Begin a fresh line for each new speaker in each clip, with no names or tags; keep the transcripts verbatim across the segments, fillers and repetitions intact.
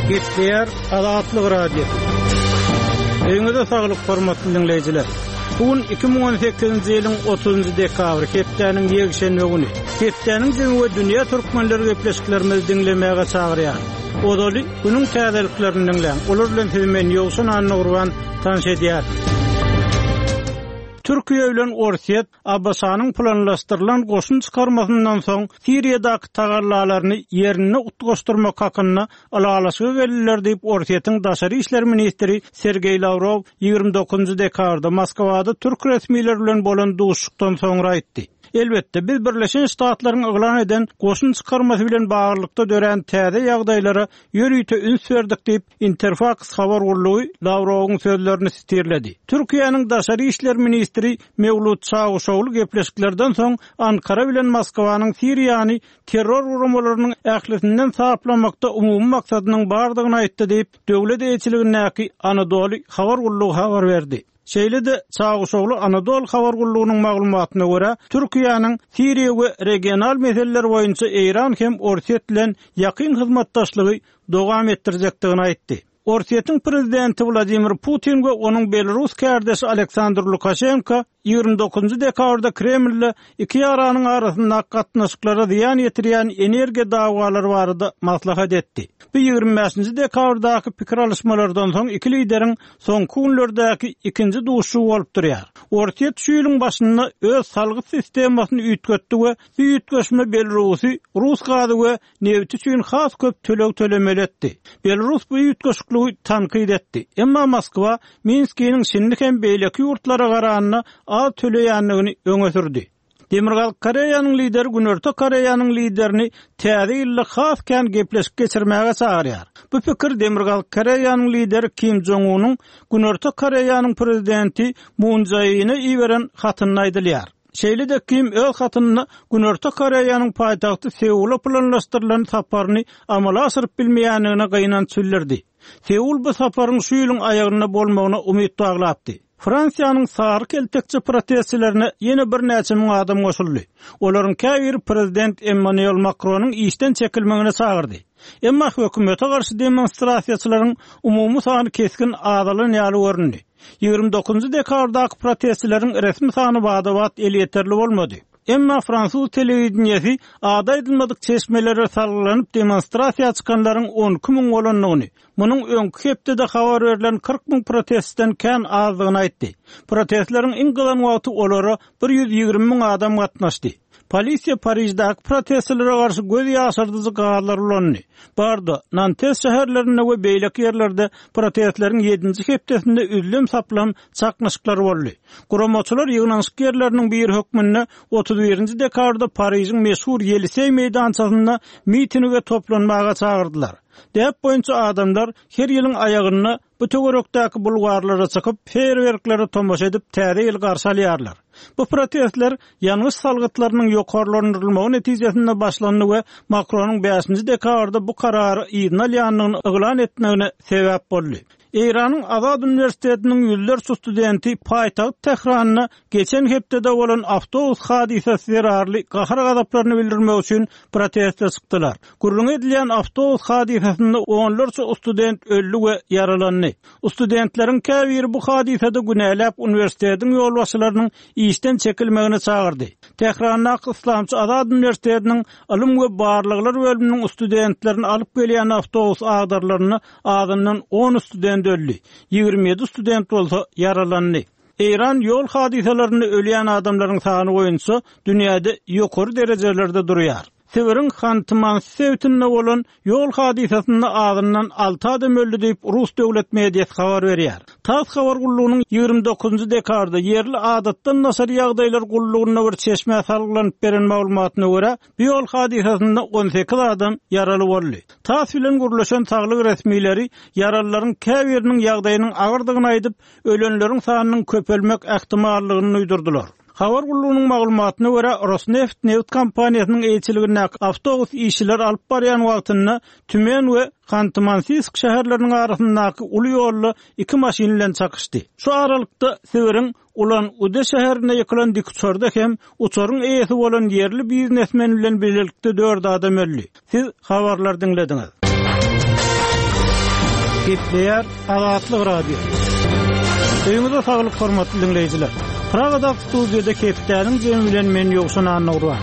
Gepleýär Azatlyk Radiosy. Öýüňize saglyk hormatly diňleýjiler. Bu gün iki müň on sekizinji ýylyň otuzynjy dekabry, hepdäniň ýekşenbe güni. Hepdäniň jemi we dünýä türkmenleri gepleşiklerimizi diňlemäge çagyrýar. Ozaly günüň täzeliklerini diňläň. Olar bilen sizi men Ýowşan Annagurban tanyş edýär. Türkiýe bilen Orsýet A B Ş-nyň planlaşdyrylan goşun çykarmasyndan soň Siriýadaky tagallalaryny ýerinde utgaşdyrmak hakynda ylalaşyga geldiler diýip Orsýetiň daşary işler ministri Sergeý Lawrow ýigrimi dokuzynjy dekabrda Moskwada türk resmileri bilen bolan duşuşykdan soňra aýtdy. Elbetde, biz Birleşen Ştatlaryň yglan eden goşun çykarmasy bilen baglylykda dörän täze ýagdaýlara ýörite üns berdik diýip Interfax habar gullugy Lawrowyň sözlerini sitirledi. Türkiýäniň daşary işler ministri Mewlut Çawuşoglu gepleşiklerden soň Ankara bilen Moskwanyň Siriýany terror guramalarynyň ählisinden saplamakda umumy maksadynyň bardygyny aýtdy diýip döwlet eýeçiligindäki Anadolu habar gullugy habar berdi. Şeýle-de Çawuşoglu Anadolu habar gullugynyň maglumatyna görä, Türkiýäniň Siriýa we regional meseleler boýunça Eýran hem Orsýet bilen ýakyn hyzmatdaşlygy dowam etdirjekdigini aýtdy. Orsýetiň prezidenti Wladimir Putin we onuň Belarus kardeşi Aleksandr Lukaşenko ýigrimi dokuzynjy dekabrda Kremlde iki ýaranyň arasynda gatnaşyklara zyýan ýetirýän energiýa dawalary barada maslahat etdi. Bu ýigrimi bäşinji dekabrdaky pikir alyşmalardan soň iki lideriň soňky günlerdäki ikinji duşuşygy bolup durýar. Orsýet şu ýylyň başynda öz salgyt sistemasyny üýtgetdi we bu üýtgeşme Belarusy rus gazy we nebiti üçin has köp töleg tölemeli etdi. Belarus bu üýtgeşikliği tankyt etdi. Emma Moskwa Minskiniň şindi hem beýleki ýurtlara garanda az töleýändigini öňe sürdi. Demirgazyk Koreýanyň lideri Günorta Koreýanyň liderini täze ýylda has kän gepleşik geçirmäge çagyrýar. Bu pikir Demirgazyk Koreýanyň lideri Kim Jong-unyň Günorta Koreýanyň prezidenti Moon Jae-ine iberen hatynda aýdylýar. Şeýle-de Kim öz hatynda Günorta Koreýanyň paýtagty Seula planlaşdyrylan saparyny amala aşyryp bilmeýändigine gynanç bildirdi. Seul bu saparyň şu ýylyň aýagynda bolmagyna umyt baglapdy. Fransiýanyň sary keltekçi protestçilerine ýene birnäçe müň adam goşuldy. Olaryň käbiri prezident Emmanuel Macronyň işden çekilmegine çagyrdy. Emma hökümete garşy demonstrasiýaçylaryň umumy sany kesgin azalan ýaly göründi. Ýigrimi dokuzynjy dekabrdaky protestçileriň resmi sany bada-bat elýeterli bolmady. Emma fransuz telewideniýesi ady aýdylmadyk çeşmelere salgylanyp demonstrasiýa çykanlaryň on iki müň bolandygyny, munuň öňki hepdede habar berlen kyrk müň protestden kän azdygyny aýtdy. Protestleriň iň gyzan wagty olara bir ýüz ýigrimi müň adam gatnaşdy. Polisiýa Pariždäki protestçilere garşy göz ýaşardyjy gazlar ulandy. Bardo, Nantes şäherlerinde we beýleki ýerlerde protestleriň ýedinji hepdesinde üzlem saplam çaknyşyklar boldy. Guramaçylar ýygnanyşyk ýerleriniň biri hökmünde otuz birinji dekabrda Parižiň meşhur Ýeliseý meýdançasynda mitinge toplanmaga çagyrdylar. Däp boýunça adamlar her ýylyň aýagynda bu töwerekdäki bulwarlara çykyp, feýerwerklere tomaşa edip täze ýyl garşy alýarlar. Bu protestler ýangyç salgytlarynyň ýokarlandyrylmagy netijesinde başlandy we Makronyň bäşinji dekabrda bu karary yzyna alýandygyny yglan etmegine sebäp boldy. Eýranyň Azad Uniwersitetiniň ýüzlerçe studenti paýtagt Tähranda geçen hepdede bolan awtobus hadysasy zerarly gahar-gazaplaryny bildirmek üçin proteste çykdylar. Gürrüň edilýän awtobus hadysasynda onlarça student öldi we ýaralandy. Studentleriň käbiri bu hadysada günäläp uniwersitetiň ýolbaşçylarynyň işden çekilmegine çagyrdy. Tährandaky Islamçy Azad Uniwersitetiniň ylym we barlaglar bölüminiň studentlerini alyp gelýän awtobus agdarlarynda azyndan on student öldi. Ýigrimi ýedi student bolsa ýaralandy. Eýran ýol hadysalarynda ölýän adamlaryň sany boýunça dünýäde ýokary derejelerde durýar. Sibiriň Hanty-Mansi sebitinde bolan ýol hadysasynda azyndan alty adam öldi diýip Rus döwlet mediasy habar berýär. TASS habar gullugynyň ýigrimi dokuzynjy dekabrda ýerli adatdan daşary ýagdaýlar gullugynda bir çeşmä salgylanyp beren maglumatyna görä, bu ýol hadysasynda on sekiz adam ýaraly boldy. TASS bilen gürleşen saglyk resmileri ýaralylaryň käbiriniň ýagdaýynyň agyrdygyny aýdyp, ölenleriň sanynyň köpelmek ähtimallygyny duýdurdylar. Habar gullugynyň maglumatyna görä, Rosneft neft kompaniýasynyň eýeçiligindäki awtobus işçileri alyp barýan wagtynda Tümen we Hanty-Mansiýsk şäherleriniň arasyndaky uly ýolda iki maşyn bilen çakyşdy. Şu aralykda Sibiriň Ulan-Ude şäherinde ýykylan dikuçarda hem uçaryň eýesi bolan ýerli biznesmen bilen birlikde dört adam öldi. Siz habarlar diňlediňiz. Gepleýär Azatlyk Radio. Öýüňize saglyk hormatly dinleýjiler. Pragadaky studiýada hepdäniň jemi bilen men Ýowşan Annurwan.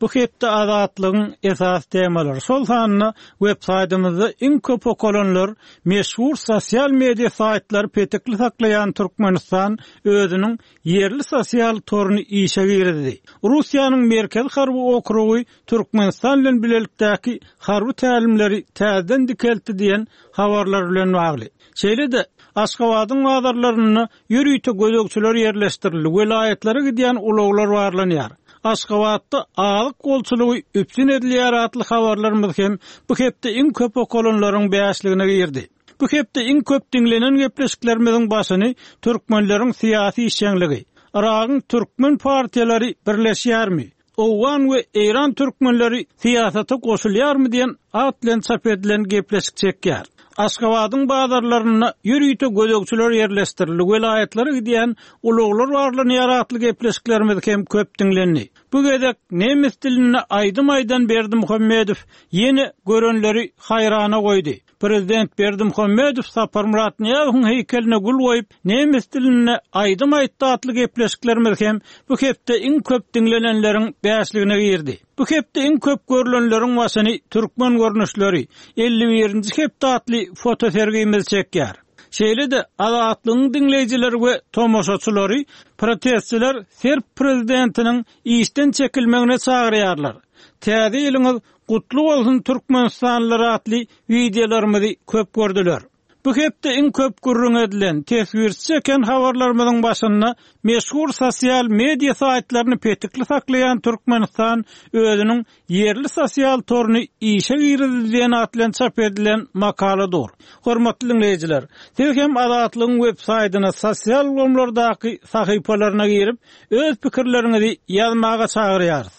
Bu hepde Azatlygyň esas temalary, şol sanda web saýtymyzda iň köp okalanlar, meşhur sosial media saýtlary petekli saklaýan Türkmenistan özüniň ýerli sosial toruny işe girizdi. Russiýanyň Merkezi harby okrugy Türkmenistan bilen bilelikdäki harby tälimleri täzeden dikeltdi diýen habarlar bilen bagly. Şeýle-de Aşgabadyň bazarlarynda ýörite gözegçiler ýerleşdirildi, welaýatlara gidýän ulaglar barlanýar. Aşgabatda azyk bolçulygy üpjün edilýär atly habarlarymyz hem bu hepde iň köp okalanlaryň bäşligine girdi. Bu hepde iň köp diňlenen gepleşiklerimiziň başyny türkmenleriň syýasy işjeňligi, Yragyň türkmen partiýalary birleşýärmi, Owgan we Eýran türkmenleri syýasata goşulýarmy diýen at bilen çap edilen gepleşik çekýär. Aşgabadyň bazarlarynda ýörite gözegçiler ýerleşdirildi, welaýatlara gidýän ulaglar barlanýar atly gepleşiklerimiz hem köp diňlendi. Bu gezek nemes dilinde aýdym aýdan Berdimuhamedow ýene görenleri haýrana goýdy. Prezident Berdimuhamedow Saparmyrat Nyýazowyň heýkeline gül goýup, nemes dilinde aýdym aýtdy atly gepleşiklerimiz hem bu hepde iň köp diňlenenleriň bäşligine girdi. Bu hepde iň köp görülenleriň başyny türkmen görnüşleri elli birinji hepde atly fotosergimiz çekýär. Şeýle-de Azatlygyň diňleýjileri we tomaşaçylary protestçiler Serb prezidentiniň işden çekilmegine çagyrýarlar. Täze ýylyňyz gutly bolsun Türkmenistanlylar atly wideolarymyzy köp gördüler. Bu hepde iň köp gürrüň edilen, teswirçi çeken habarlarymyzyň başynda meşhur sosial media saýtlaryny petikli saklaýan Türkmenistan özüniň ýerli sosial toruny işe girizdi diýen at bilen çap edilen makala dur. Hormatly dinleýjiler, siz hem Azatlygyň web saýtyna sosial ulgamlardaky sahypalaryna girip, öz pikirleriňizi ýazmaga çagyrýarys.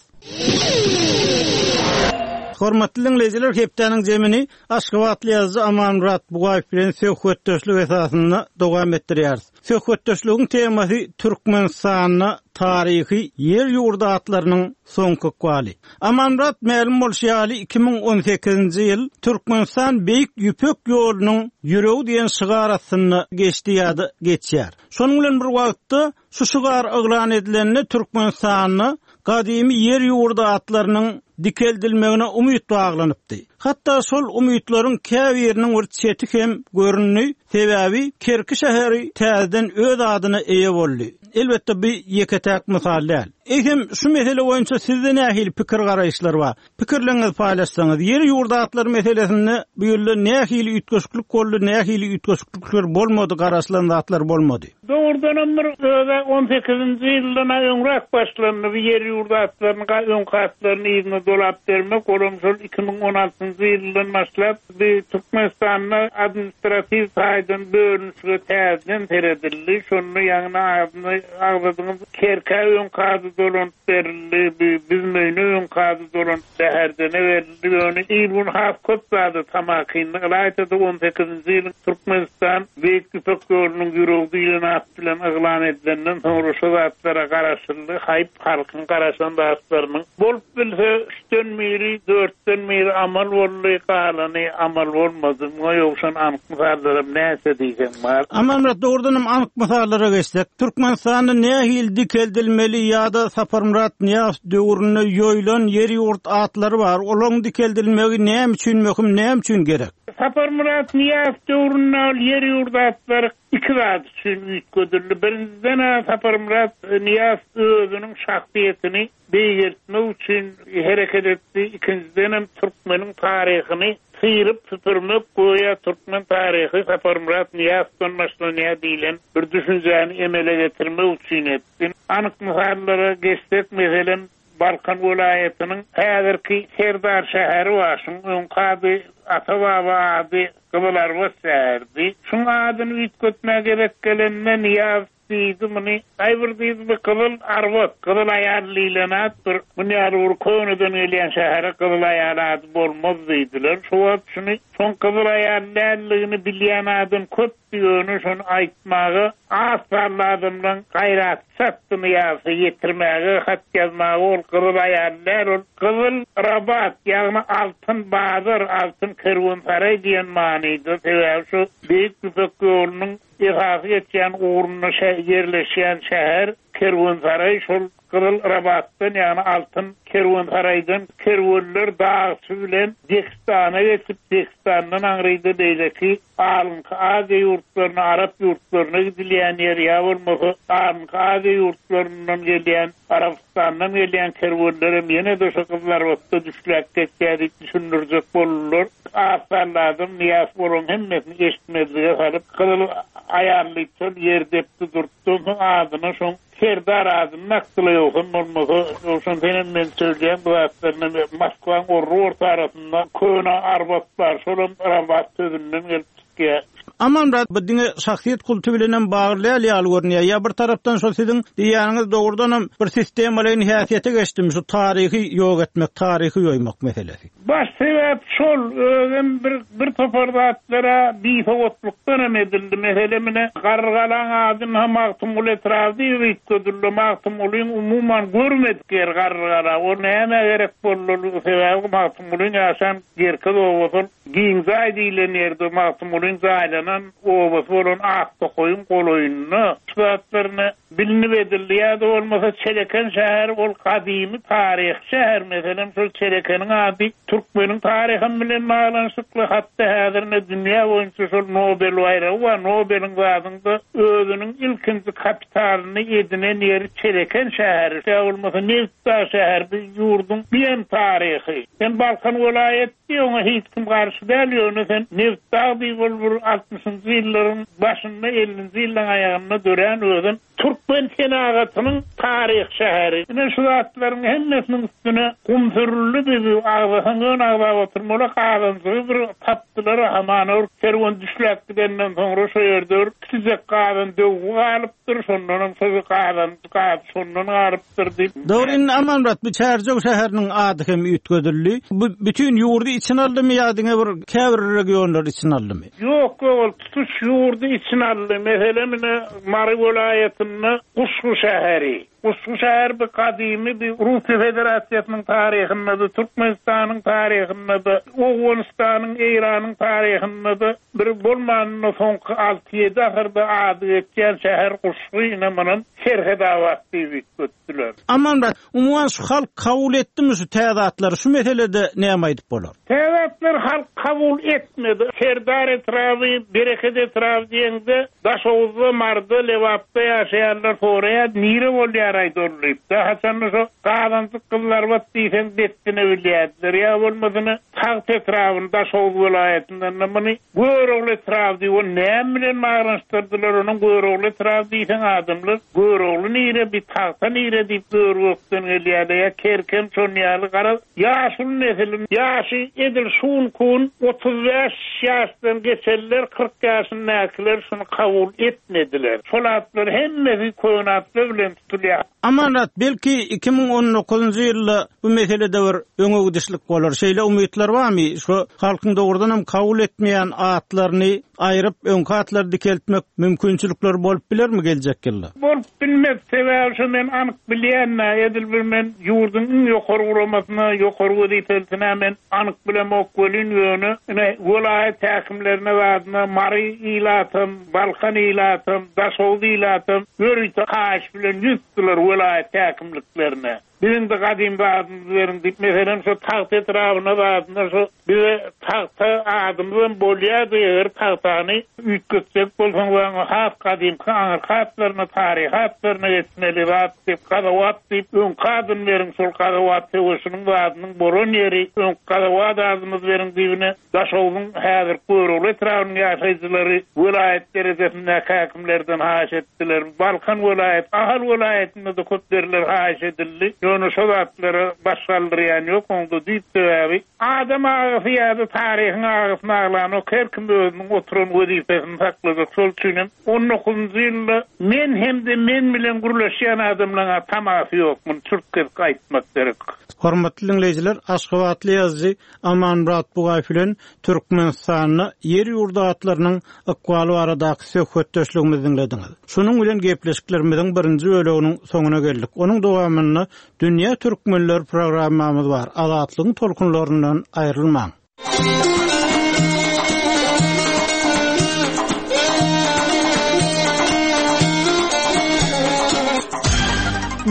Hormatly dinleýjiler, hepdäniň jemini Aşgabatly ýazyjy Amanmyrat Bugaýew bilen söhbetdeşlik esasynda dowam etdirýäris. Söhbetdeşligiň temasy Türkmenistanda taryhy ýer ýurdy atlarynyň soňky ykbaly. Amanmyrat, mälim bolşy ýaly iki müň on sekizinji ýyl Türkmenistan Beýik Ýüpek ýolunyň ýüregi diýen şygar astynda geçdi ýa-da geçýär. Şonuň bilen bir wagtda şu şygar yglan edilende Türkmenistanda gadymy ýer ýurdy atlarynyň dikeldilmegine umyt baglanypdy. Hatda şol umytlaryň käbiriniň bir çeti hem göründi, sebäbi Kerki şäheri täzeden öz adyna eýe boldy. Elbetde bu ýeke-täk mysal däl. Eýsem şu mesele boýunça sizde nähili pikir garaýyşlar bar? Pikirleriňizi paýlaşsaňyz, ýer ýurdy atlary meselesinde bu ýylda nähili üýtgeşiklik boldy, nähili üýtgeşiklikler bolmady, garaşylan zatlar bolmady?
Doğrudanam bir öze on sekizinji ýyldan öňräk başlandy bu ýer ýurdy atlaryny, öňki atlaryny yzyna dolap bermek, olam şol iki müň on altynjy ýyldan başlap bir Türkmenistanda administrativ taýdan bölünişige täzeden seredildi. Şonda ýaňy adyny agzadyňyz, Kerkä öňki ady dolanyp berildi, bi-, Büzmeýine öňki ady dolanyp Bäherdene berildi. Ýöne il gün has köp zady tamakynly ylaýtada on sekizinji ýylyň Türkmenistan Beýik Ýüpek ýolunyň ýüregi diýlen at bilen yglan edilenden soňra şu zatlara garaşyldy. Haýp halkyň garaşan zatlarynyň bolup bilse üçden biri, dörtden biri amal boldy, galany amal bolmady. Muňa ýowşan anyk mysallaram näçe diýseň bar.
Amanmyrat, dogrudanam anyk mysallara geçsek, Türkmenistanda nähili dikeldilmeli ýa-da Saparmyrat Nyýazow döwründe ýoýlan ýer ýurt atlary bar. Olaryň dikeldilmegi näme üçin möhüm, näme üçin gerek?
Saparmyrat Nyýazow döwründe ol ýer ýurt atlary iki zat üçin üýtgedildi. Birinciden Saparmyrat Nyýazow özüniň şahsyýetini beýgeltmek üçin hereket etdi. Ikinciden hem türkmeniň taryhyny syryp süpürmek, goýa türkmen taryhy Saparmyrat Nyýazowdan başlanýar diýlen bir düşünjäni emele getirmek üçin etdi. Anyk mysallara geçsek, meselem Balkan welaýatynyň häzirki Serdar şäheri bar. Şuň öňki ady Ata-baba ady Gyzylarbat şäherdi. Şuň adyny üýtgetmäge gerek gelende Nyýazow diýdi muny. Aý bir diýdi bu Gyzyl Arbat, Gyzyl Aýal diýlen at bir munýaly bir köneden gelýän şähere Gyzyl Aýal ady bolmaz diýdiler. Şu wagt şuny soň Gyzyl Aýal däldigini bilýän adam köp ýöne şony aýtmaga az sanly adamdan gaýrat çatdyny ýa-da ýetirmäge hat ýazmaga ol Gyzyl Aýal däl, ol Gyzyl Rabat, ýagny altyn bazar, altyn kerwensaraý diýen manyda. Sebäbi şu Beýik Ýüpek ýolunyň esasy geçýän ugrunda ýerleşýän şäher kerwensaraý şol Gyzyl Rabatdan, ýagny altyn kerwensaraýdan kerwenler dagçy bilen Dehistana geçip, Dehistandan aňryda beýleki Alynky Aziýa ýurtlaryna, Arap ýurtlaryna gidilýän ýer ýa bolmasa Alynky Aziýa ýurtlaryndan gelýän, Arabistandan gelýän kerwenler hem ýene-de şu Gyzyl Arbatda düşläp geçýär diýip düşündirjek boldular. Az sanly adam Nyýaz bolan hemmesini eşitmezlige salyp, Gyzyl Aýal diýip şol ýer depdi durtdy, soň adyna şoň Serdar adyny dakdylar, ýogsam bolmasa, ýogsam senem men söyleyän bu zatlaryny Moskwaň orry orta arasynda köne Arbat bar, şolam Rabat sözünden gelip çykýar.
Amanmyrat, bu diňe şahsyýet kulty bilen hem bagly däl ýaly görünýär. Ýa bir tarapdan şol siziň diýýäniňiz dogrudan hem bir sistemalaýyn häsiýete geçdim, şu taryhy ýok etmek, taryhy ýoýmak meselesi.
Baş sebäp şol, özüm bir, bir topar zatlara bisowatlykdan hem edildi. Meselem, ine, Garrygalaň adyny hem Magtymguly etrabı diýip üýtgedildi. Magtymgulyň umuman görmedik ýeri Garrygala. O näme gerek boldy? Sebäbi Magtymgulyň ýaşan Gerkez obasy Giňzaý diýlen ýerde Magtymgulyň jaýlanan obasy bolan Aktokaýyň golaýynda şu zatlaryny bilinip edildi. Ýa-da bolmasa Çeleken şäheri ol gadymy taryh şäher. Meselem, şol Çelekeniň ady Türkmeniň taryhy bilen baglanyşykly, hatda häzirine dünýä boýunça şol Nobel baýragy bar. Nobeliň zadynda özüniň ilkinji kapitalyny edinen ýeri Çeleken şäheri. Ýa bolmasa Nebitdag şäheri bir ýurduň bir taryhy. Sen Balkan welaýat diýip oňa hiç kim garşy däl, ýöne sen Nebitdag diýip ol bir altmyşynjy ýyllaryň başynda, ellinji ýyllaryň aýagynda dörän özün Türkmen senagatynyň taryh şäheri. Ine şu zatlaryň hemmesiniň üstüne gum sürüldü, bizi agzasaň ön agzap oturmaly, gazanjygy bir tapdylar, hamana bir kerwen düşläp gidenden soňra şu ýerde bir kiçijek gazan döwgi galypdyr, şondan hem şo gazan gaz şondan galypdyr diýip.
Dogry, indi Amanmyrat, bu Çärjew şäheriniň ady hem üýtgedildi. Bu bütün ýurdy içine aldymy ýa diňe bir käbir regionlary içine aldymy?
Ýok, ýok, ol tutuş ýurdy içine aldy. Meselem, ine Mary welaýatynda Guşgy şäheri. Guşgy şäheri bir gadymy bir Russiýa Federasiýasynyň taryhynda da, Türkmenistanyň taryhynda da, Owganystanyň, Eýranyň taryhynda da bir bolmanynda soňky alty-ýedi asyrda ady geçýän şäher Guşgy, ine munam Serhedabat diýip üýtgetdiler.
Amanmyrat, umuman şu halk kabul etdimi şu täze atlary? Şu meselede näme aýdyp bolar?
Täze atlar halk kabul etmedi. Serdar etrabı, Bereket etrabı diýende Daşoguzda, Marda, Lebapda ýaşaýanlar soraýar, nire bolýar aýdorlyp. Da haçan şo gazanjyk Gyzylarbat diýseň dessine bilýärdiler. Ýa bolmasyny Tagt etrabynda, Daşoguz welaýatyndan da muny Görogly etrabı diýip, ol näme bilen baglanyşdyrdylar? Onuň Görogly etrabı diýseň adamlar Görogly nire, bir Tagta nire diýip Göroglydan gelýärler. Ýa Kerkem şon ýaly garaz ýaşuly nesiliň ýaşy edil şun kun otuz bäş ýaşdan geçenler, kyrk ýaşyndakylar şunu kabul etmediler. Şol atlar hemmesi köne atlar bilen tutulýar.
Amanmyrat, belki iki müň on dokuzynjy ýylda bu meselede bir öňe gidişlik bolar. Şeýle umytlar barmy? Şu halkyň dogrudan hem kabul etmeýän atlaryny aýryp öňki atlary dikeltmek mümkinçilikleri bolup bilermi geljek ýylda?
Bolup bilmez. Sebäbi şu men anyk bilýän, edil bir men ýurduň iň ýokary guramasyna, ýokary wezipelisine men anyk bilemok welin ýöne ine welaýat häkimlerine zadyna Mary ilatam, Balkan ilatam, Daşoguz ilatam ýörite haýyş bilen ýüz tutdular welaýat häkimliklerine. Biziň de gadym zadymyz beriň diýip, meselem şu Tagt etrabyna zadyna şu bize Tagta adymyz hem bolýardy, eger Tagtany üýtgetsek bolsaň we has gadymky aňyrky atlaryna, taryhy atlaryna geçmeli zat diýip, Gazawat diýip, öňki adyny beriň, şol Gazawat söweşiniň zadynyň bolan ýeri, öňki Gazawat adymyz beriň diýibine Daşoguzyň häzir Görogly etrabynyň ýaşaýjylary welaýat derejesindäki häkimlerden haýyş etdiler. Balkan welaýat, Ahal welaýatynda da köp ýerler haýyş edildi. Ýöne şo zatlara baş galdyrýan ýok, onda diýip sebäbi adam agysy ýa-da taryhyň agysyny aglanok, her kim özüniň oturan wezipesini saklajak. Şol üçin hem on dokuzunjy ýylda men hem-de men bilen gürleşýän adamlaryň tamasy ýok, muny çürt kesik aýtmak gerek.
Hormatly dinleýjiler, Aşgabatly ýazyjy Amanmyrat Bugaýew bilen Türkmenistanda ýer ýurdy atlarynyň ykbaly baradaky söhbetdeşligimizi dinlediňiz. Şunuň bilen gepleşiklerimiziň birinji böleginiň soňuna geldik. Onuň dowamynda Dünýä Türkmenler programmamyz bar. Azatlygyň tolkunlaryndan aýrylmaň.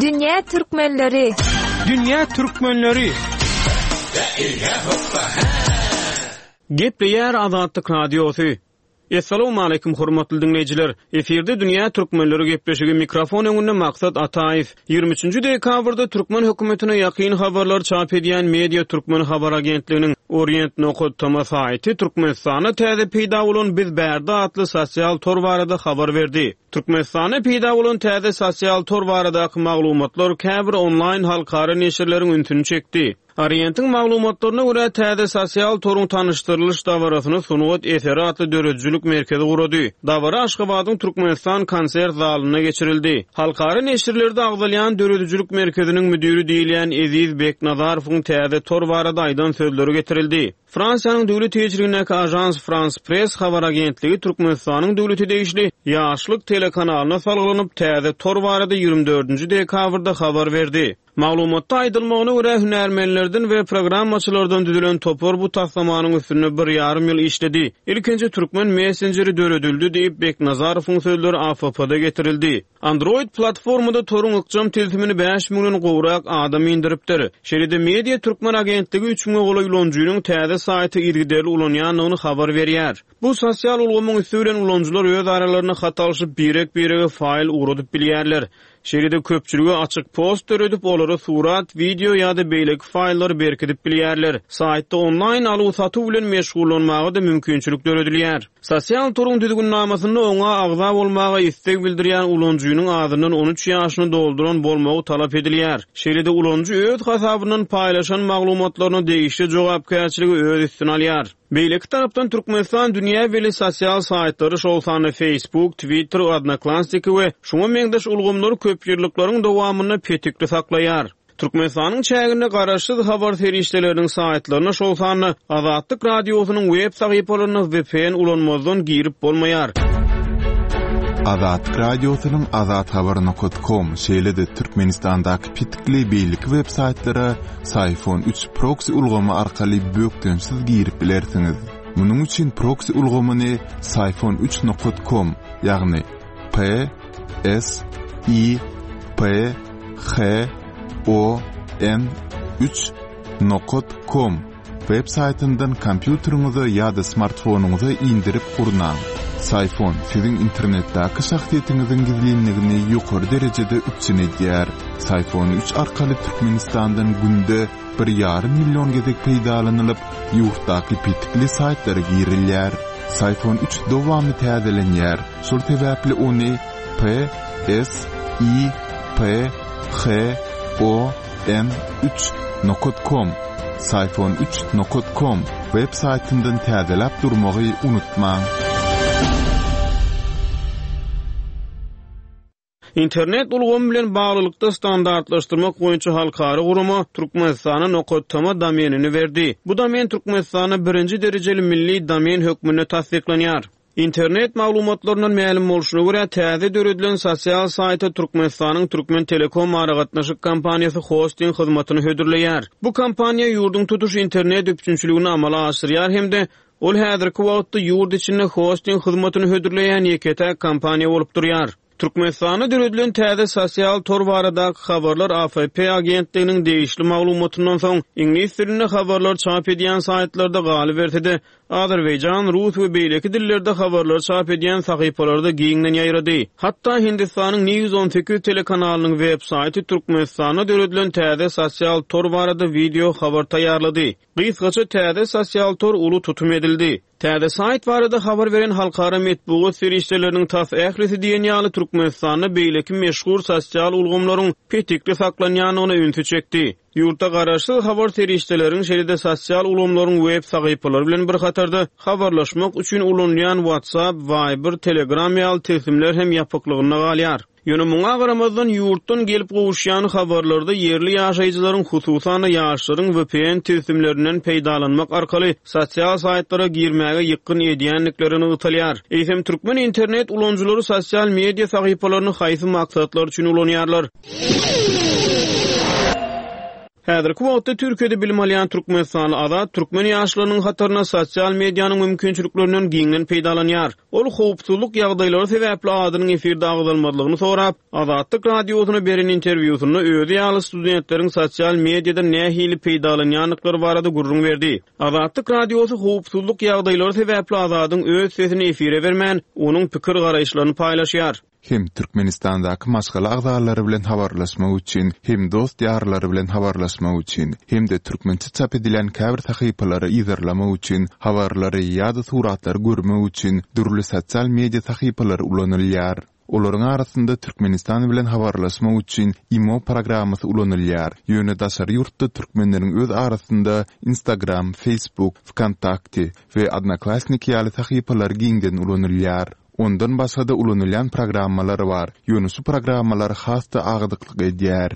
Dünýä Türkmenleri.
Dünýä Türkmenleri. Gepleýär Azatlyk Radiosy. Essalamu aleýkum hormatly dinleýjiler. Efirde Dünýä Türkmenleri gepleşigi mikrofon öňünde Maksat Ataýew. Ýigrimi üçünji dekabrda Türkmen hökümetine ýakyn habarlar çap edýän Media Türkmen habar agentliginiň Orient nokat toma saýty Türkmenistanda täze peýda bolan Biz Bärde atly sosial tor barada habar berdi. Türkmenistanda peýda bolan täze sosial tor baradaky maglumatlar käbir onlaýn halkara neşirleriň ünsüni çekdi. Orientin maglumatlaryna görä täze sosial toruň tanyşdyrylyş dabarasyny Sungat eseri atly döredijilik merkezi gurady. Dabara Aşgabadyň Türkmenistan konsert zalynda geçirildi. Halkara neşirlerde agzalýan döredijilik merkeziniň müdiri diýilýän Eziz Beknazarowyň täze tor barada aýdan sözleri getirildi. Fransiýanyň döwlet eýeçiligindäki Agence France Presse habar agentligi Türkmenistanyň döwleti degişli Ýaşlyk telekanalyna salgylanyp täze tor barada ýigrimi dördünji dekabrda habar berdi. Maglumatda aýdylmagyna görä hünärmenlerden we programmaçylardan düzülen topar bu taslamanyň üstünde bir ýarym ýyl işledi. Ilkinji türkmen messengeri döredildi diýip Beknazarowyň sözleri A F P-da getirildi. Android platformada toruň ykjam tilsimini bäş müňden gowrak adam indiripdir. Şeýle-de Media Türkmen agentligi üç müňe golaý ulanyjynyň täze saýty yzygiderli ulanýandygyny habar berýär. Bu sosial ulgamyň üsti bilen ulanyjylar öz aralarynda hat alşyp birek-birege faýl ugradyp bilýärler. Şeýle-de köpçülige açyk post döredip, olara surat, video ýa-da beýleki faýllary berkidip bilýärler. Saýtda onlaýn aluw-satuw bilen meşgullanmaga da mümkinçilik döredilýär. Sosial toruň düzgünnamasynda oňa agza bolmaga isleg bildirýän ulanyjynyň adyndan on üç ýaşyny dolduran bolmagy talap edilýär. Şeýle-de ulanyjy öz hasabyndan paýlaşan maglumatlaryna degişli jogapkärçiligi öz üstüne alýar. Beýleki tarapdan Türkmenistan dünýä belli sosial saýtlary şol sanda Facebook, Twitter, Odnoklassniki we şoňa meňzeş ulgamlary köp ýyllyklaryň dowamynda petikli saklaýar. Türkmenistanyň çäginde garaşsyz habar serişdeleriniň saýtlaryna şol sanda Azatlyk radiosynyň web sahypalaryna V P N ulanmazdan girip bolmaýar.
Azatlyk radiosynyň azathabar nokta com şeýle-de Türkmenistandaky petikli beýleki web saýtlara Syfon üç proxy ulgamy arkaly bökdençsiz girip bilersiňiz. Munuň üçin proxy ulgamyny Syfon üç nokta com, ýagny P S I P H O N üç nokta com web saýtyndan kompýuteriňize ýa-da smartfonyňyza indirip gurnaň. Syfon siziň internetdäki şahsyýetiňiziň gizlinligini ýokary derejede üpjün edýär. Syfon üç arkaly Türkmenistandan günde bir ýarym million gezek peýdalanylyp, ýurtdaky petikli saýtlara girilýär. Syfon üç dowamly täzelenýär. Şol sebäpli ony P S I P H O N üç nokta com Syfon üç nokta com web saýtyndan täzeläp durmagy unutmaň.
Internet ulgamy bilen baglylykda standartlaşdyrmak boýunça halkara gurama Türkmenistana nokta toma domenini berdi. Bu domen Türkmenistana birinji derejeli milli domen hökmünde tassyklanýar. Internet maglumatlaryndan mälim bolşuna görä täze döredilen sosial saýta Türkmenistanyň Türkmen Telekom aragatnaşyk kompaniýasy hosting hyzmatyny hödürleýär. Bu kompaniýa ýurduň tutuş internet üpjünçiligini amala aşyrýar hem-de ol häzirki wagtda ýurt içinde hosting hyzmatyny hödürleýän ýeke-täk kompaniýa bolup durýar. Türkmenistanda döredilen täze sosial tor baradaky habarlar A F P agentliginiň degişli maglumatyndan soň iňlis dilinde habarlar çap edýän saýtlarda galyberse-de Azerbaýjan, rus we beýleki dillerde habarlar çap edýän sahypalarda giňden ýaýrady. Hatda Hindistanyň News on sekiz telekanalynyň web saýty Türkmenistanda döredilen täze sosial tor barada video habar taýýarlady. Gysgaça täze sosial tor uly tutum edildi. Täze saýt barada habar beren halkara metbugat serişdeleriniň tas ählisi diýen ýaly Türkmenistanda beýleki meşhur sosial ulgamlaryň petikli saklanýandygyna ünsi çekdi. Ýurtda garaşsyz habar serişdeleriň şeýle-de sosial ulgamlaryň web sahypalary bilen bir hatarda habarlaşmak üçin ulanylýan WhatsApp, Viber, Telegram ýaly tilsimler hem ýapyklygynda galýar. Ýöne muňa garamazdan ýurtdan gelip gowuşýan habarlarda ýerli ýaşaýjylaryň hususan-da ýaşlaryň V P N tilsimlerinden peýdalanmak arkaly sosial saýtlara girmäge ýykgyn edýändikleri nygtalýar. Eýsem türkmen internet ulanyjylary sosial media sahypalaryny haýsy maksatlar üçin ulanýarlar? Häzirki wagtda Türkiýede bilim alýan Türkmenistanly Azat türkmen ýaşlarynyň hataryna sosial medianyň mümkinçiliklerinden giňden peýdalanýar. Ol howpsuzlyk ýagdaýlary sebäpli adynyň efirde agzalmazlygyny sorap, Azatlyk radiosyna beren interwýusynda özi ýaly studentleriň sosial mediadan nähili peýdalanýandyklary barada gürrüň berdi. Azatlyk radiosy howpsuzlyk ýagdaýlary sebäpli Azadyň öz sesini efire bermän, onuň pikir garaýyşlaryny paýlaşýar.
Hem Türkmenistandaky maşgala agzalary bilen habarlaşmak üçin, hem dost ýarlary bilen habarlaşmak üçin, hem-de türkmençe çap edilen käbir sahypalary yzarlamak üçin, habarlary ýa-da suratlary görmek üçin dürli sosial media sahypalary ulanylýar. Olaryň arasynda Türkmenistan bilen habarlaşmak üçin Imo programmasy ulanylýar. Ýöne daşary ýurtda türkmenleriň öz arasynda Instagram, Facebook, VKontakte we Odnoklassniki ýaly sahypalar giňden ulanylýar. Ondan başga-da ulanylýan programmalar bar. Ýöne şu programmalar has-da agdyklyk edýär.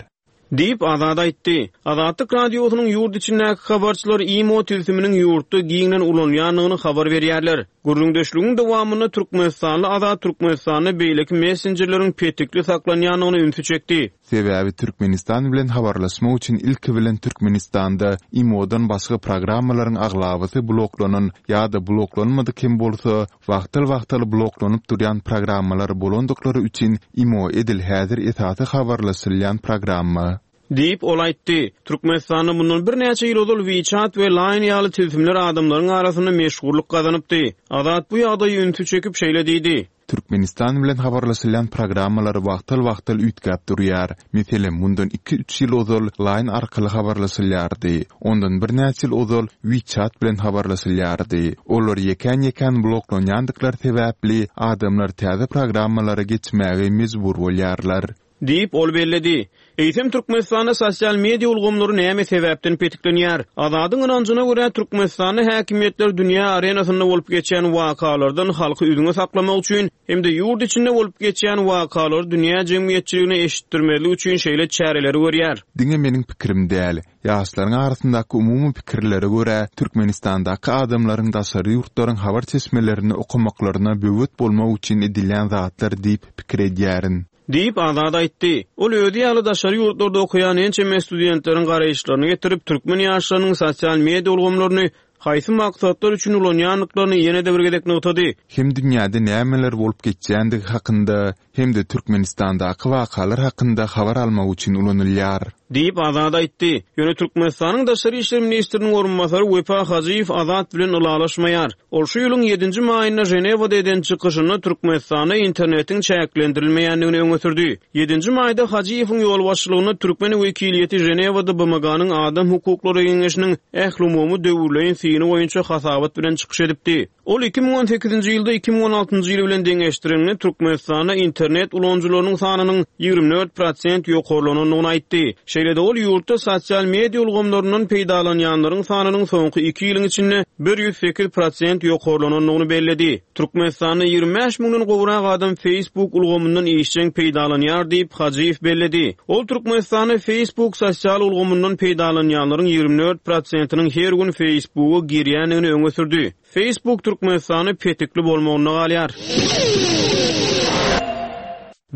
Diýip Azat aýtdy. Azatlyk radiosynyň ýurt içindäki habarçylary Imo tilsiminiň ýurtda giňden ulanylýandygyny habar berýärler. Gürrüňdeşligiň dowamynda Türkmenistanly Azat Türkmenistanda beýleki messenjerleriň petikli saklanýandygyny ünsi çekdi.
Sebäbi Türkmenistan bilen habarlaşmak üçin ilki bilen Türkmenistanda Imodan başga programmalaryň aglabasy bloklanan ýa-da bloklanmadyk hem bolsa, wagtal-wagtal bloklanyp durýan programmalar bolandyklary üçin Imo edil häzir esasy habarlaşylýan programma.
Diýip ol aýtdy. Türkmenistanda mundan birnäçe ýyl ozal WeChat we Line ýaly tilsimler adamlaryň arasynda meşhurlyk gazanypdy. Azat bu ýagdaýy ünsi çekip şeýle diýdi.
Türkmenistan bilen habarlaşylýan programmalar wagtal-wagtal üýtgäp durýar. Meselem, mundan iki-üç ýyl ozal Line arkaly habarlaşylýardy. Ondan birnäçe ýyl ozal WeChat bilen habarlaşylýardy. Olar ýekän-ýekän bloklanýandyklary sebäpli adamlar täze programmalara geçmäge mejbur bolýarlar.
Diýip ol belledi. Eýsem Türkmenistanda sosial media ulgamlary näme sebäpden petiklenýär? Azadyň ynanjyna görä Türkmenistanda häkimiýetler dünýä arenasynda bolup geçen wakalardan halky üzňe saklamak üçin hem-de ýurt içinde bolup geçen wakalary dünýä jemgyýetçiligine eşitdirmezlik üçin şeýle çäreleri görýär.
Diňe meniň pikirim däl, ýaşlaryň arasyndaky umumy pikirlere görä Türkmenistandaky adamlaryň daşary ýurtlaryň habar çeşmelerini okamaklaryna böwet bolmak üçin edilýän zatlar diýip pikir edýärin.
Diýip Azat aýtdy. Ol özi ýaly daşary ýurtlarda okaýan ençeme studentleriň garaýyşlaryny getirip, türkmen ýaşlarynyň sosial media ulgamlaryny haýsy maksatlar üçin ulanýandyklaryny ýene-de bir gezek nygtady.
Hem dünýäde nämeler bolup geçýändigi hakynda, hem-de Türkmenistandaky wakalar hakynda habar almak üçin ulanylýar.
Diýip Azat aýtdy. Ýöne Türkmenistanyň Daşary işler ministriniň orunbasary Wepa Hajyýew Azat bilen ylalaşmaýar. Ol şu ýylyň ýedinji maýynda Ženewada eden çykyşynda Türkmenistanda internetiň çäklendirilmeýändigini öňe sürdi. Ýedinji maýda Hajyýewiň ýolbaşçylygynda türkmen wekiliýeti Ženewada B M G-nyň Adam hukuklary geňeşiniň ählumumy döwürleýin syny boýunça hasabat bilen çykyş edipdi. Ol iki müň on sekizinji ýylda iki müň on altynjy ýyl bilen deňeşdirilende Türkmenistanda internet ulanyjylarynyň sanynyň ýigrimi dört prosent ýokarlanandygyny aýtdy. Şeýle-de ol ýurtda sosial media ulgamlaryndan peýdalanýanlaryň sanynyň soňky iki ýylyň içinde ýüz sekiz prosent ýokarlanandygyny belledi. Türkmenistanda ýigrimi bäş müňden gowrak adam Facebook ulgamyndan işjeň peýdalanýar diýip Hajyýew belledi. Ol Türkmenistanda Facebook sosial ulgamyndan peýdalanýanlaryň ýigrimi dört prosentiniň her gün Facebooka girýändigini öňe sürdi. Facebook Türkmenistanda petikli bolmagynda galýar.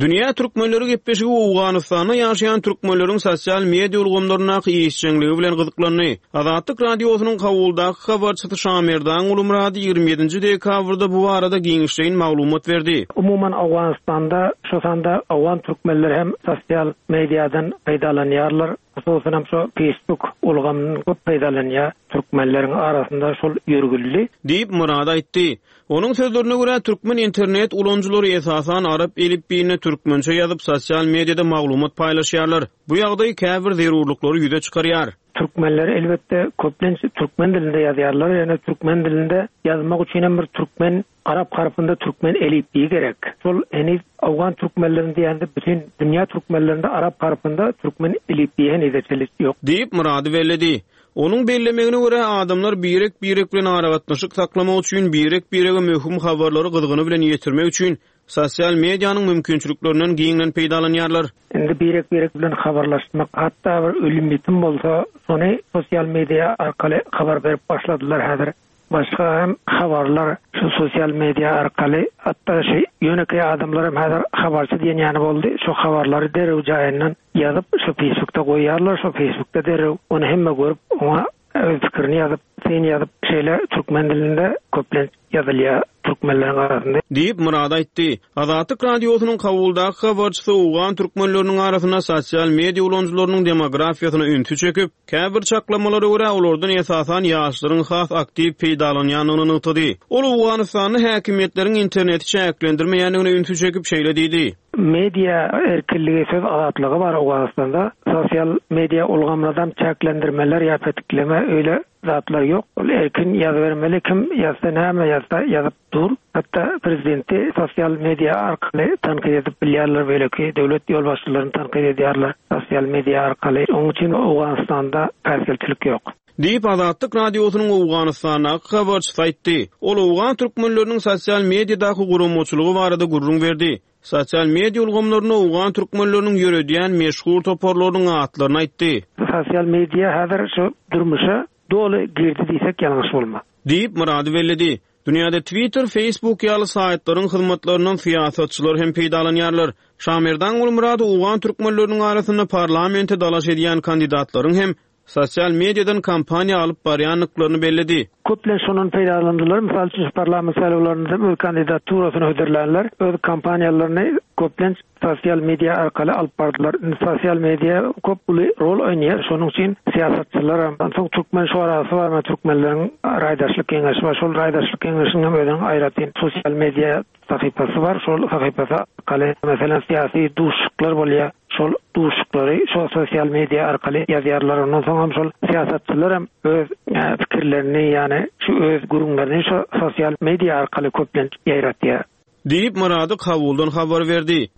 Dünýä türkmenleri gepleşigi Owganystanda ýaşaýan türkmenleriň sosial media ulgamlaryndaky işjeňligi bilen gyzyklandy. Azatlyk radiosynyň Kabuldaky habarçysy Şamerdan Gulumurady ýigrimi ýedinji dekabrda bu barada giňişleýin maglumat berdi.
Umuman Owganystanda, şu sanda Owgan türkmenleri hem sosial mediadan peýdalanýarlar. Hususan şu Facebook ulgamyndan köp peýdalanýar. Türkmenleriň arasynda şol ýörgünli.
Diýip Murad aýtdy. Onuň sözlerine görä türkmen internet ulanyjylary esasan arap elipbiýinde türkmençe ýazyp sosial mediada maglumat paýlaşýarlar. Bu ýagdaý käbir zerurlyklary ýüze çykarýar.
Türkmenler elbetde köplenç türkmen dilinde ýazýarlar, ýöne türkmen dilinde ýazmak üçin hem bir türkmen arap harpynda türkmen elipbiýi gerek. Şol heniz owgan türkmenlerinde diýende bütin dünýä türkmenlerinde arap harpynda türkmen elipbiýi henize çenli ýok.
Diýip, Myrady belledi. Onuň bellemegine görä, adamlar birek-birek bilen aragatnaşyk saklamak üçin, birek-birege möhüm habarlary gyzgyny bilen ýetirmek üçin sosial medianyň mümkinçiliklerinden giňden peýdalanýarlar.
Indi birek-birek bilen habarlaşmak, hatda bir ölüm-ýitim bolsa, şony sosial media arkaly habar berip başladylar häzir. Başga hem habarlar şu sosial media arkaly, hatda şu ýönekeý adamlar hem häzir habarçy diýen ýaly boldy. Şu habarlary derrew jaýyndan ýazyp, şu Facebookda goýýarlar, şu Facebookda derrew ony hemme görüp, oňa öz pikirini ýazyp, syn ýazyp, şeýle türkmen dilinde köplenç ýazylýar türkmenleriň arasynda.
Diýip, Myrady aýtdy. Azatlyk Radiosynyň Kabuldaky habarçysy owgan türkmenleriniň arasynda sosial media ulanyjylarynyň demografiýasyna ünsi çekip, käbir çaklamalara görä, olardan esasan ýaşlaryň has aktiw peýdalanýandygyny nygtady. Ol Owganystanda häkimiýetleriň interneti çäklendirmeýändigine ünsi çekip, şeýle diýdi.
Media erkinligi, söz azatlygy bar Owganystanda. Sosial media ulgamlardan çäklendirmeler ýa petikleme öýle zatlar ýok. Ol erkin ýazybermeli, kim ýazsa näme ýazsa ýazyp dur. Hatda prezidenti sosial media arkaly tankyt edip bilýärler, beýleki döwlet ýolbaşçylaryny tankyt edýärler sosial media arkaly. Onuň üçin Owganystanda päsgelçilik ýok.
Diýip, Azatlyk Radiosynyň Owganystandaky habarçysy aýtdy. Ol owgan türkmenleriniň sosial mediadaky guramaçylygy barada gürrüň berdi. Sosial media ulgamlarynda owgan türkmenleriniň ýöredýän meşhur toparlarynyň atlaryny aýtdy.
Sosial media häzir şu durmuşa doly girdi diýsek ýalňyş bolmaz.
Diýip, Myrady belledi. Dünýäde Twitter, Facebook ýaly saýtlaryň hyzmatlaryndan syýasatçylar hem peýdalanýarlar. Şamerdan Gulmyrady owgan türkmenleriniň arasynda parlamente dalaş edýän kandidatlaryň hem sosial mediadan kampaniýa alyp barýandyklaryny belledi.
Köplenç şondan peýdalandylar. Mysal üçin, parlament saýlawlarynda öz kandidaturasyny hödürlänler, öz kampaniýalaryny köplenç sosial media arkaly alyp bardylar. Indi sosial media köp uly rol oýnaýar. Şonuň üçin syýasatçylar hem, onsoň türkmen şurasy bar, men türkmenleriň raýdaşlyk geňeşi bar. Şol raýdaşlyk geňeşiniň hem özüniň aýratyn sosial media sahypasy bar. Şol sahypasy arkaly, meselem, syýasy duşuşyklar bolýar. Şol duşuşyklary şol sosial media arkaly ýazýarlar. Ondan soň hem şol syýasatçylar hem öz, e, pikirlerini, ýagny şu öz gürrüňlerini şu sosial media arkaly köplenç ýaýratýar.
Diýip, Myrady Kabuldan habar berdi.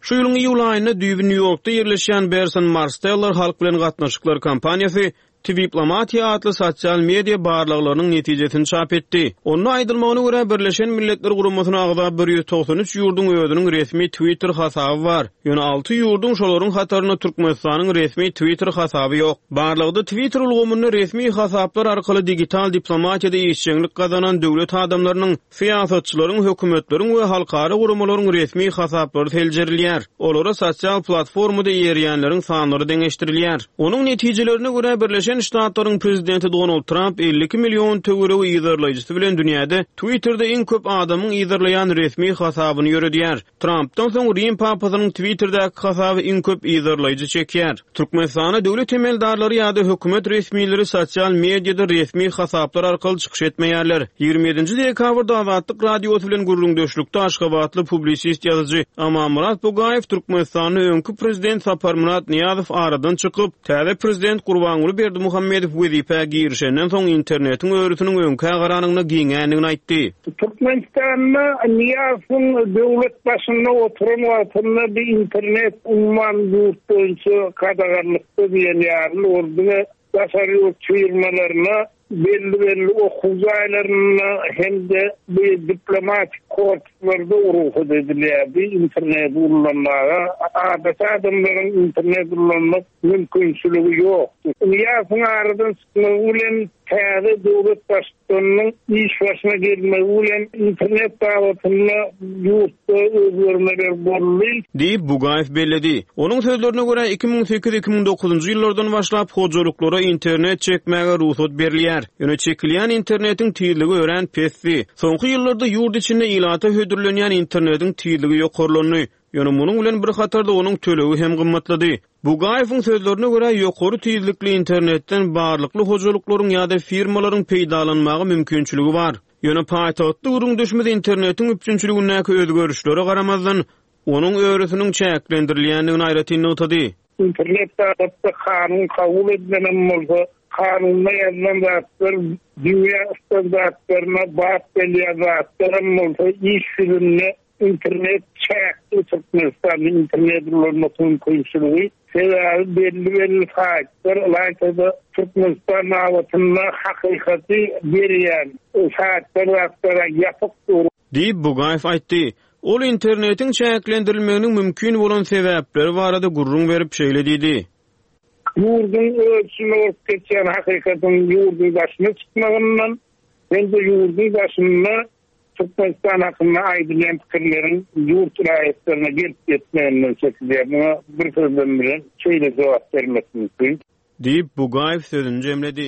Şu ýylyň iýul aýynda düýbi Nýu-Ýorkda ýerleşýän Burson Marsteller halk bilen gatnaşyklar kompaniýasy Twiplomatia atly sosial media barlaglarynyň netijesini çap etdi. Onda aýdylmagyna görä, Birleşen Milletler Guramasyna agza bir ýüz togsan üç ýurduň özüniň resmi Twitter hasaby bar. Ýöne alty ýurduň, şolaryň hatarynda Türkmenistanyň resmi Twitter hasaby ýok. Barlagda Twitter ulgamynda resmi hasaplar arkaly digital diplomatiýada işjeňlik gazanan döwlet adamlarynyň, syýasatçylaryň, hökümetleriň we halkara guramalaryň resmi hasaplary seljerilýär. Olara sosial platformada eýerýänleriň sanlary deňeşdirilýär. Onuň netijelerine görä, Birleşen Ştatlaryň prezidenti Donald Trump elli iki million töweregi yzarlaýjysy bilen dünýäde Twitterde iň köp adamyň yzarlaýan resmi hasabyny ýöredýär. Trumpdan soň Rim papasynyň Twitterdäki hasaby iň köp yzarlaýjy çekýär. Türkmenistanda döwlet emeldarlary ýa-da hökümet resmileri sosial mediada resmi hasaplar arkaly çykyş etmeýärler. Ýigrimi ýedinji dekabrda Azatlyk Radiosy bilen gürrüňdeşlikde aşgabatly publisist ýazyjy Amanmyrat Bugaýew Türkmenistanda öňki prezident Saparmyrat Nyýazow aradan çykyp, täze prezident Gurbanguly Berdimuhamedow wezipä girişenden soň internetiň örüsiniň öňkä garanyňda giňändigini aýtdy.
Türkmenistanda Nyýazowyň döwlet başynda oturan wagtynda bir internet umuman ýurt boýunça gadaganlykda diýen ýaly ol diňe daşary ýurt firmalaryna, belli-belli okuw jaýlaryna hem-de bir diplomatik korpuslarda rugsat edilýärdi internet ulanmaga. Adaty adamlaryň internet ulanmak mümkinçiligi ýokdy. Nyýazowyň aradan çykmagy bilen täze döwlet baştutanynyň iş başyna gelmegi bilen internet babatynda ýurtda özgermeler boldy.
Diýip, Bugaýew belledi. Onuň sözlerine görä, iki müň sekiz iki müň dokuzynjy ýyllardan başlap hojalyklara internet çekmäge rugsat berilýär. Ýöne çekilýän internetiň tizligi örän pesdi. Soňky ýyllarda ýurt içinde ilata hödürlenýän internetiň tizligi ýokarlandy. Ýöne munuň bilen bir hatarda onuň tölegi hem gymmatlady. Bugaýewiň sözlerine görä, ýokary tizlikli internetden barlykly hojalyklaryň ýa-da firmalaryň peýdalanmaga mümkinçiligi bar. Ýöne paýtagtda gürrüňdeşimiz internetiň üpjünçiligindäki özgerişlere garamazdan, onuň örüsiniň çäklendirilýändigini aýratyn nygtady.
Internet babatda kanun kabul edilenem bolsa, kanunda ýazylan zatlar dünýä standartlaryna bap gelýän zatlaram bolsa, iş ýüzünde internet çäkli Türkmenistanda internet ulanmak mümkinçiligi. Sebäbi belli-belli saýtlar, ylaýta-da Türkmenistan babatynda hakykaty berýän saýtlar zatlara ýapyk dur.
Diýip, Bugaýew aýtdy. Ol internetiň çäklendirilmeginiň mümkin bolan sebäpleri barada gürrüň berip, şeýle diýdi.
Ýurduň öz içinde bolup geçýän hakykatyň ýurduň daşyna çykmagyndan hem-de ýurduň daşynda Türkmenistan hakynda aýdylýan pikirleriň ýurt raýatlaryna gelip ýetmeginden çekilýär. Muňa bir sözlem bilen şeýle jogap bermek mümkin.
Diýip, Bugaýew sözüni jemledi.